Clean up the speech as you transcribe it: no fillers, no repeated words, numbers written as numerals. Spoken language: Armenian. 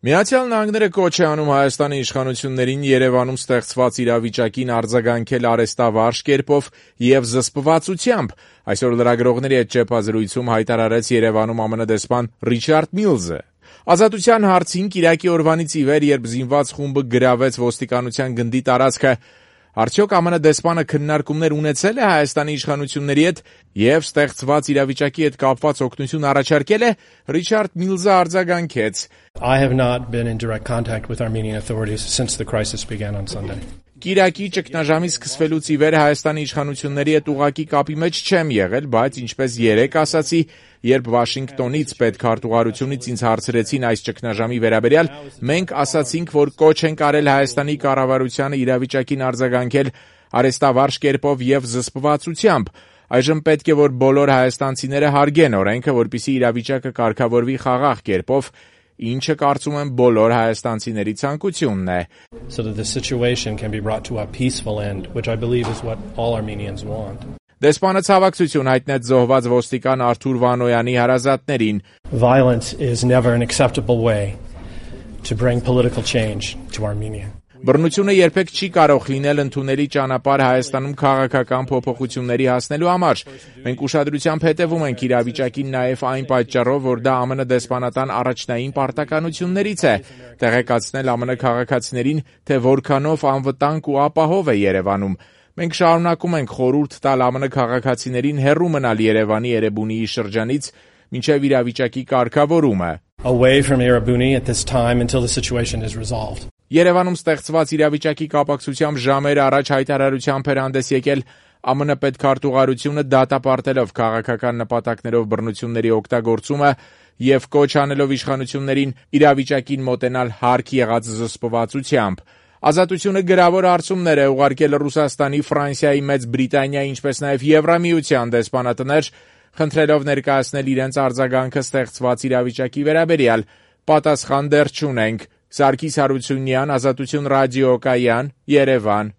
Միացյալ Նահանգները կոչ է անում Հայաստանի իշխանություններին Երևանում ստեղծված իրավիճակին արձագանքել արհեստավարժ կերպով և զսպվածությամբ, այսօր լրագրողների հետ ճեպազրույցում հայտարարեց Երևանում ԱՄՆ դեսպան Ռիչարդ Միլզը։ Ազատության հարցին կիրակի օրվանից ի վեր, երբ զինված խումբը գրավեց ոստիկանության գնդի տարածքը, արդյոք ԱՄՆ դեսպանը քննարկումներ ունեցել է Հայաստանի իշխանությունների հետ և ստեղծված իրավիճակի հետ կապված օգնություն առաջարկել է, Ռիչարդ Միլզը արձագանքեց. I have not been in direct contact with Armenian authorities since the crisis began on Sunday. Կիրակի ճգնաժամի սկսվելուց ի վեր Հայաստանի իշխանությունների հետ ուղղակի կապի մեջ չեմ եղել, բայց ինչպես երեկ ասացի, երբ Վաշինգտոնից պետքարտուղարությունից ինձ հարցրեցին այս ճգնաժամի վերաբերյալ, մենք ասացինք, որ կոչ ենք արել Հայաստանի կառավարությանը իրավիճակին արձագանքել արհեստավարժ կերպով և զսպվածությամբ։ Այժմ պետք է, որ բոլոր հայաստանցիները հարգեն օրենքը, որպեսզի իրավիճակը կարգավորվի խաղաղ կերպով, ինչը կարծում եմ բոլոր հայաստանցիների ցանկությունն է։ So that the situation can be brought to a peaceful end, which I believe is what all Armenians want. Դեսպանը ցավակցություն հայտնեց զոհված ոստիկան Արթուր Վանոյանի հարազատներին. Violence is never an acceptable way to bring political change to Armenia. Բռնությունը երբեք չի կարող լինել ընդունելի ճանապարհ Հայաստանում քաղաքական փոփոխությունների հասնելու համար։ Մենք ուշադրությամբ հետևում ենք իրավիճակին նաև այն պատճառով, որ դա ԱՄՆ դեսպանատան առաջնային պարտականություններից է, տեղեկացնել ԱՄՆ քաղաքացիներին, թե որքանով անվտանգ ու ապահով է Երևանում։ Մենք շարունակում ենք խորհուրդ տալ ԱՄՆ քաղաքացիներին հեռու մնալ Երևանի Էրեբունիի շրջանից մինչև իրավիճակի կարգավորումը։ Away from Erebuni at this time until the situation is resolved. Երևանում ստեղծված իրավիճակի կապակցությամբ ժամեր առաջ հայտարարությամբ էր հանդես եկել ԱՄՆ պետքարտուղարությունը դատապարտելով քաղաքական նպատակներով բռնությունների օգտագործումը և կոչ անելով իշխանություններին իրավիճակին մոտենալ հարկ եղած զսպվածությամբ։ Ազատությունը գրավոր հարցումներ է ուղարկել Ռուսաստանի, Ֆրանսիայի, Մեծ Բրիտանիայի, ինչպես նաև Եվրամիության դեսպանատներ, խնդրելով ներկայացնել իրենց արձագանքը ստեղծված իրավիճակի վերաբերյալ։ Պատասխան դեռ չունենք։ Սարգիս Հարությունյան, Ազատություն ռադիոկայան, Երևան։